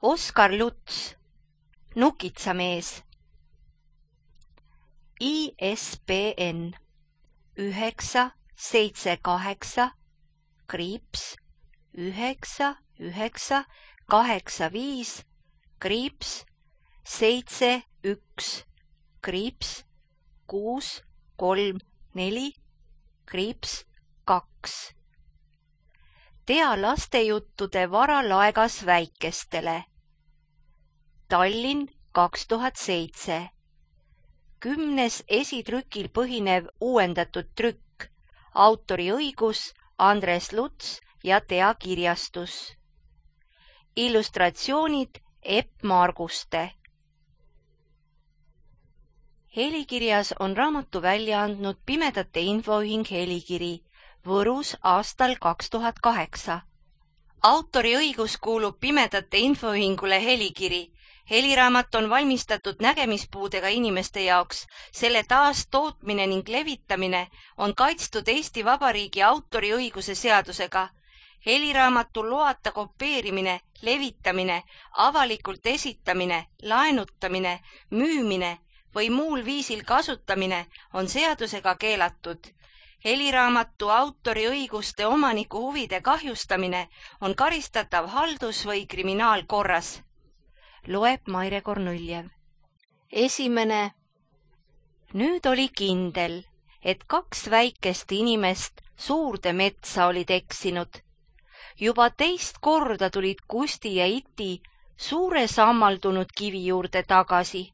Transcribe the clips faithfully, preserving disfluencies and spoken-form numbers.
Oskar Luts, Nukitsamees. I S B N üheksa seitse kaheksa kriips üheksa üheksa kaheksa viis kriips seitse üks kriips kuus kolm neli kriips kaks. Tea lastejuttude varalaegas väikestele. Tallinn kaks tuhat seitse. Kümnes esitrükil põhinev uuendatud trükk. Autoriõigus Andres Luts ja Tea kirjastus. Illustratsioonid Epp Marguste. Helikirjas on raamatu välja andnud Pimedate Infoühing Helikiri Võrus aastal kaks tuhat kaheksa. Autoriõigus kuulub Pimedate Infoühingule Helikiri. Heliraamat on valmistatud nägemispuudega inimeste jaoks. Selle taastootmine ning levitamine on kaitstud Eesti Vabariigi autoriõiguse seadusega. Heliraamatu loata kopeerimine, levitamine, avalikult esitamine, laenutamine, müümine või muul viisil kasutamine on seadusega keelatud. Heliraamatu autoriõiguste omaniku huvide kahjustamine on karistatav haldus- või kriminaalkorras. Loeb Maire Kornuljev. Esimene. Nüüd oli kindel, et kaks väikest inimest suurde metsa olid eksinud. Juba teist korda tulid Kusti ja Iti suure sammaldunud kivi juurde tagasi.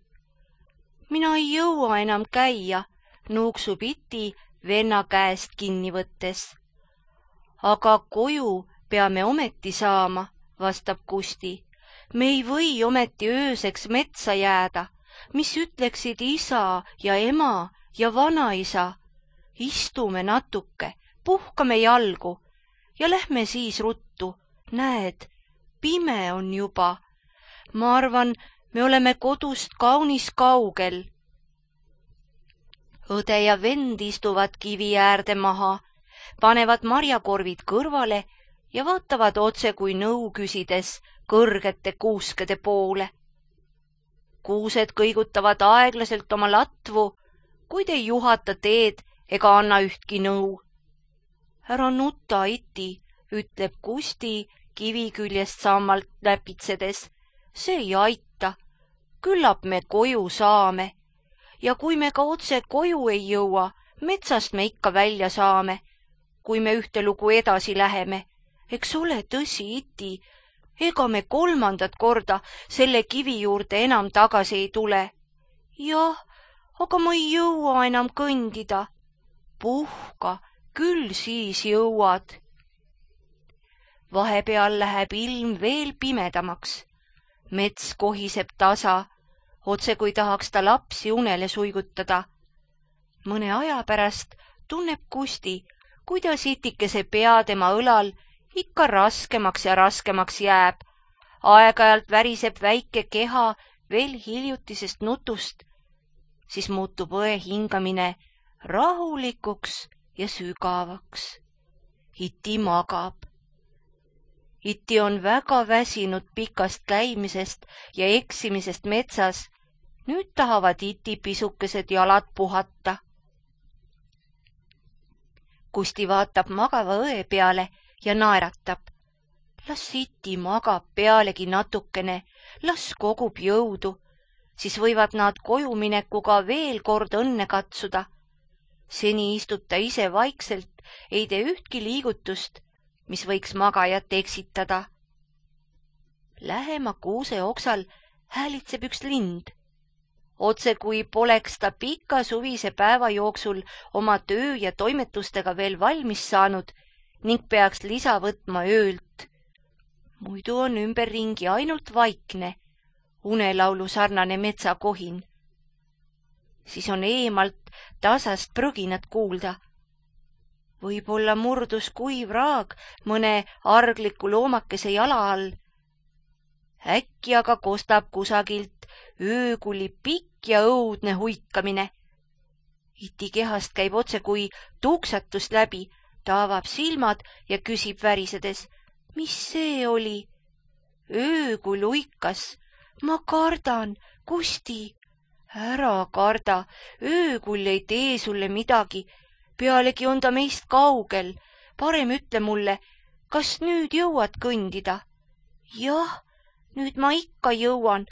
Mina ei jõua enam käia, nuuksub Iti venna käest kinni võttes. Aga koju peame ometi saama, vastab Kusti. Me ei või ometi ööseks metsa jääda, mis ütleksid isa ja ema ja vanaisa. Istume natuke, puhkame jalgu ja lähme siis ruttu. Näed, pime on juba. Ma arvan, me oleme kodust kaunis kaugel. Õde ja vend istuvad kivi äärde maha, panevad marjakorvid kõrvale ja vaatavad otse kui nõu küsides kõrgete kuuskede poole. Kuused kõigutavad aeglaselt oma latvu, kuid ei juhata teed ega anna ühtki nõu. Ära nuta, Iti, ütleb Kusti kivi küljest sammalt näpitsedes. See ei aita. Küllap me koju saame. Ja kui me ka otse koju ei jõua, metsast me ikka välja saame, kui me ühte lugu edasi läheme. Eks ole tõsi, Iti, ega me kolmandat korda selle kivi juurde enam tagasi ei tule. Jah, aga ma ei jõua enam kõndida. Puhka, küll siis jõuad. Vahepeal läheb ilm veel pimedamaks. Mets kohiseb tasa, otse kui tahaks ta lapsi unele suigutada. Mõne aja pärast tunneb Kusti, kuidas Itikese pea tema õlal ikka raskemaks ja raskemaks jääb. Aeg-ajalt väriseb väike keha veel hiljutisest nutust, siis muutub õe hingamine rahulikuks ja sügavaks. Iti magab. Iti on väga väsinud pikast käimisest ja eksimisest metsas. Nüüd tahavad Iti pisukesed jalad puhata. Kusti vaatab magava õe peale ja naeratab. Las Iti magab pealegi natukene, las kogub jõudu, siis võivad nad kojuminekuga veel kord õnne katsuda. Seni istub ta ise vaikselt, ei tee ühtki liigutust, mis võiks magajat eksitada. Lähema kuuse oksal häälitseb üks lind. Otse kui poleks ta pika suvise päeva jooksul oma töö ja toimetustega veel valmis saanud ning peaks lisa võtma öölt. Muidu on ümberringi ainult vaikne, unelaulu sarnane metsakohin. Siis on eemalt tasast prõginat kuulda. Võib-olla murdus kuiv raag mõne argliku loomakese jala all. Äkki aga kostab kusagilt öökuli pikk ja õudne huikamine. Iti kehast käib otse kui tuksatust läbi, ta avab silmad ja küsib värisedes, mis see oli? öö kui luikas. Ma kardan, Kusti. Ära karda, öökull ei tee sulle midagi. Pealegi on ta meist kaugel. Parem ütle mulle, kas nüüd jõuad kõndida? Jah, nüüd ma ikka jõuan.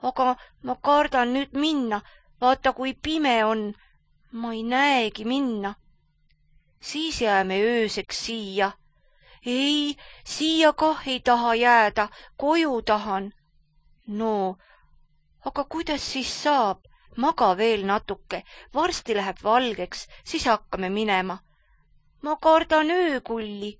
Aga ma kardan nüüd minna. Vaata, kui pime on. Ma ei näegi minna. Siis jääme ööseks siia. Ei, siia kah ei taha jääda, koju tahan. No, aga kuidas siis saab? Maga veel natuke, varsti läheb valgeks, siis hakkame minema. Ma kardan öökulli.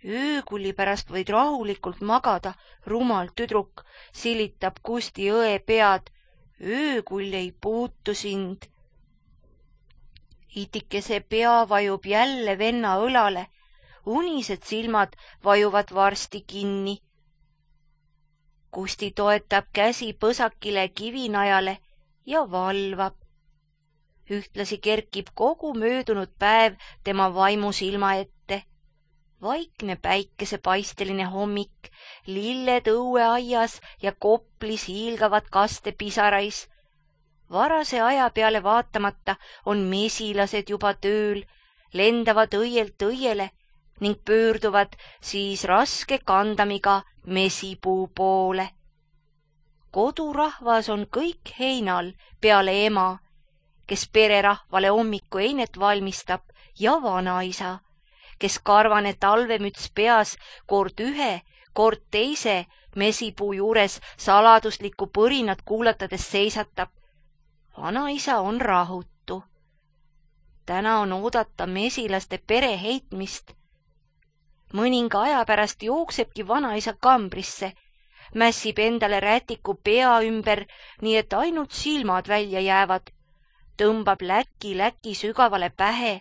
Öökulli pärast võid rahulikult magada, rumal tüdruk, silitab Kusti õe pead. Öökull ei puutu sind. Itikese pea vajub jälle venna õlale. Unised silmad vajuvad varsti kinni. Kusti toetab käsi põsakile kivinajale ja valvab. Ühtlasi kerkib kogu möödunud päev tema vaimusilma ette. Vaikne päikesepaisteline hommik, lilled õueaias ja koplis hiilgavad kaste pisarais. Varase aja peale vaatamata on mesilased juba tööl, lendavad õielt õiele ning pöörduvad siis raske kandamiga mesipuu poole. Kodurahvas on kõik heinal peale ema, kes pererahvale hommiku einet valmistab, ja vanaisa, kes karvane talvemüts peas kord ühe, kord teise mesipuu juures saladuslikku põrinat kuulatades seisatab. Vanaisa on rahutu. Täna on oodata mesilaste pere heitmist. Mõninga aja pärast jooksebki vanaisa kambrisse, mässib endale rätiku pea ümber, nii et ainult silmad välja jäävad, tõmbab läki-läki sügavale pähe,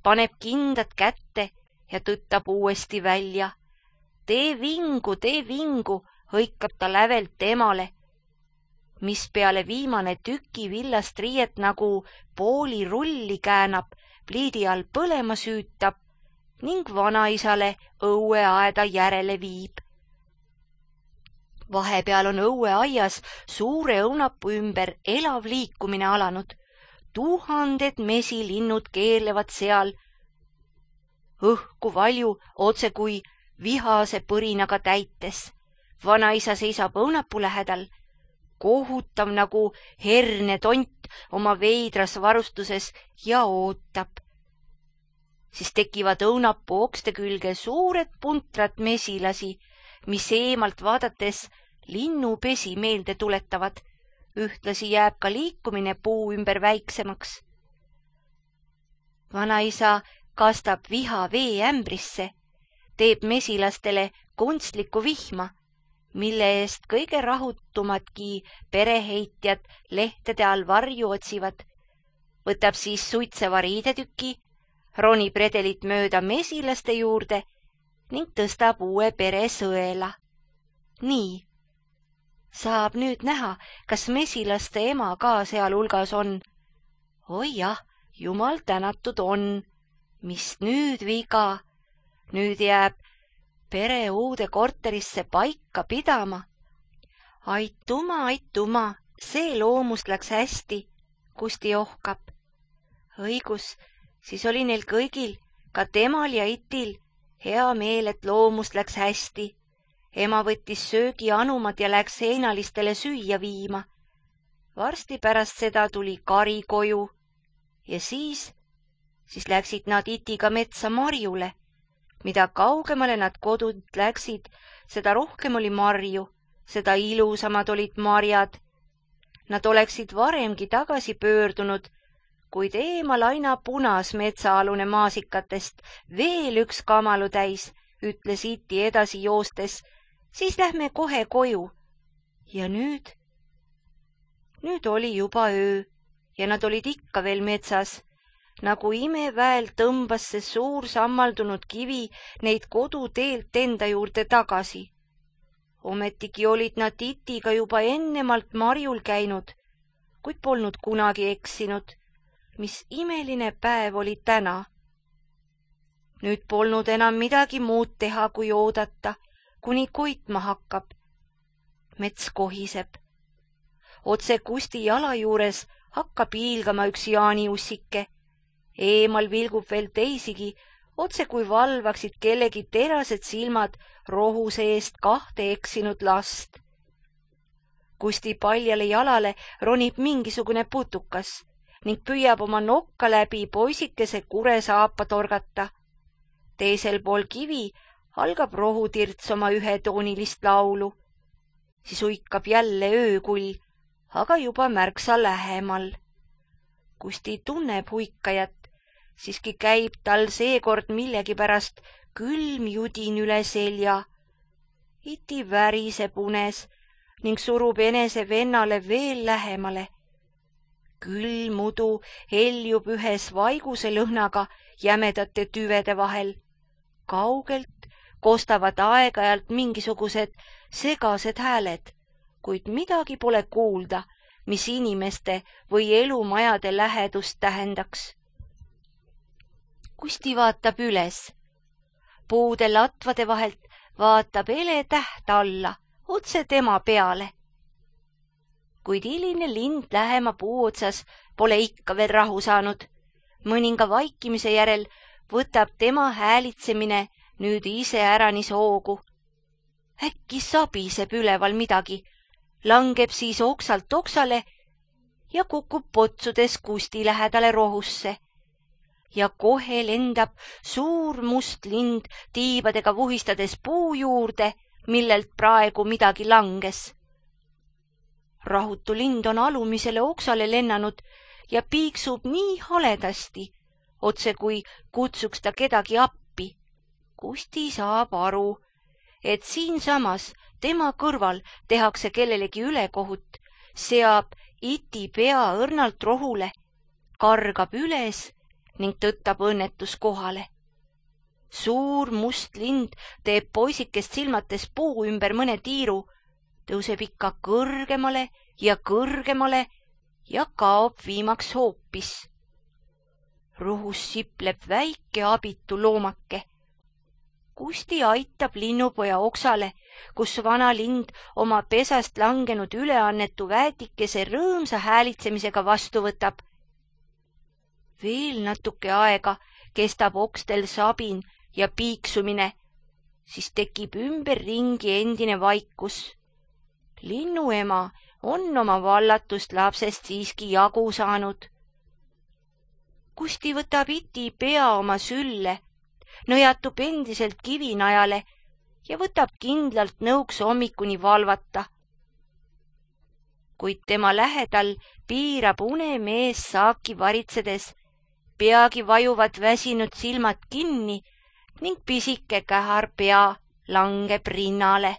paneb kindad kätte ja tõttab uuesti välja. Tee vingu, tee vingu, hõikab ta lävelt temale, mis peale viimane tüki villast riiet nagu pooli rulli käänab, pliidi all põlema süütab ning vanaisale õueaeda järele viib. Vahepeal on õueaias suure õunapuu ümber elav liikumine alanud. Tuhanded mesilinnud keerlevad seal. Õhku valju otse kui vihase põrinaga täites. Vanaisa seisab õunapuu lähedal, kohutav nagu hernetont oma veidras varustuses ja ootab. Siis tekivad õunapuu okste külge suured puntrad mesilasi, mis eemalt vaadates linnupesi meelde tuletavad. Ühtlasi jääb ka liikumine puu ümber väiksemaks. Vanaisa kastab viha vee ämbrisse, teeb mesilastele kunstlikku vihma, mille eest kõige rahutumadki pereheitjad lehtede all varju otsivad. Võtab siis suitseva riidetüki, ronib redelit mööda mesilaste juurde ning tõstab uue pere sõela. Nii. Saab nüüd näha, kas mesilaste ema ka seal hulgas on. Oi jah, jumal tänatud on. Mis nüüd viga? Nüüd jääb pere uude korterisse paika pidama. Aituma, aituma, see loomust läks hästi, Kusti ohkab. Õigus, siis oli neil kõigil, ka temal ja itil, hea meel, et loomust läks hästi. Ema võttis söögi anumad ja läks heinalistele süüa viima. Varsti pärast seda tuli kari koju ja siis, siis läksid nad itiga metsa marjule. Mida kaugemale nad kodunt läksid, seda rohkem oli marju, seda ilusamad olid marjad. Nad oleksid varemgi tagasi pöördunud, kuid eemal aina punas metsaalune maasikatest veel üks kamalu täis, ütles iti edasi joostes. Siis lähme kohe koju. Ja nüüd? Nüüd oli juba öö ja nad olid ikka veel metsas. Nagu imeväel tõmbas see suur sammaldunud kivi neid koduteelt enda juurde tagasi. Ometigi olid nad itiga juba ennemalt marjul käinud, kuid polnud kunagi eksinud. Mis imeline päev oli täna. Nüüd polnud enam midagi muud teha, kui oodata, kuni koitma hakkab. Mets kohiseb. Otse Kusti jala juures hakkab hiilgama üks jaaniussike. Eemal vilgub veel teisigi, otse kui valvaksid kellegi terased silmad rohuse eest kahte eksinud last. Kusti paljale jalale ronib mingisugune putukas ning püüab oma nokka läbi poisikese kuresaapa torgata. Teisel pool kivi algab rohutirts oma ühetoonilist laulu. Siis uikab jälle öökull, aga juba märksa lähemal. Kusti tunneb huikajat, siiski käib tal seekord millegipärast külm judin üle selja. Iti väriseb unes ning surub enese vennale veel lähemale. Külm mudu heljub ühes vaiguse lõhnaga jämedate tüvede vahel. Kaugelt kostavad aeg-ajalt mingisugused segased hääled, kuid midagi pole kuulda, mis inimeste või elumajade lähedust tähendaks. Kusti vaatab üles. Puude latvade vahelt vaatab ele täht alla, otse tema peale. Kuid hiline lind lähema puu otsas pole ikka veel rahu saanud. Mõninga vaikimise järel võtab tema häälitsemine nüüd ise äranis hoogu. Äkki sabiseb üleval midagi, langeb siis oksalt oksale ja kukub potsudes Kusti lähedale rohusse. Ja kohe lendab suur must lind tiibadega vuhistades puu juurde, millelt praegu midagi langes. Rahutu lind on alumisele oksale lennanud ja piiksub nii haledasti, otse kui kutsuks ta kedagi appi. Kusti saab aru, et siinsamas tema kõrval tehakse kellelegi ülekohut, seab iti pea õrnalt rohule, kargab üles ning tõttab õnnetuskohale. Suur must lind teeb poisikest silmates puu ümber mõne tiiru, tõuseb ikka kõrgemale ja kõrgemale ja kaob viimaks hoopis. Rohus sipleb väike abitu loomake. Kusti aitab linnupoja oksale, kus vana lind oma pesast langenud üleannetu väetikese rõõmsa häälitsemisega vastu võtab. Veel natuke aega kestab okstel sabin ja piiksumine, siis tekib ümberringi endine vaikus. Linnuema on oma vallatust lapsest siiski jagu saanud. Kusti võtab iti pea oma sülle, nõjatub endiselt kivinajale ja võtab kindlalt nõuks hommikuni valvata. Kuid tema lähedal piirab unemees saaki varitsedes, peagi vajuvad väsinud silmad kinni ning pisike kähar pea langeb rinnale.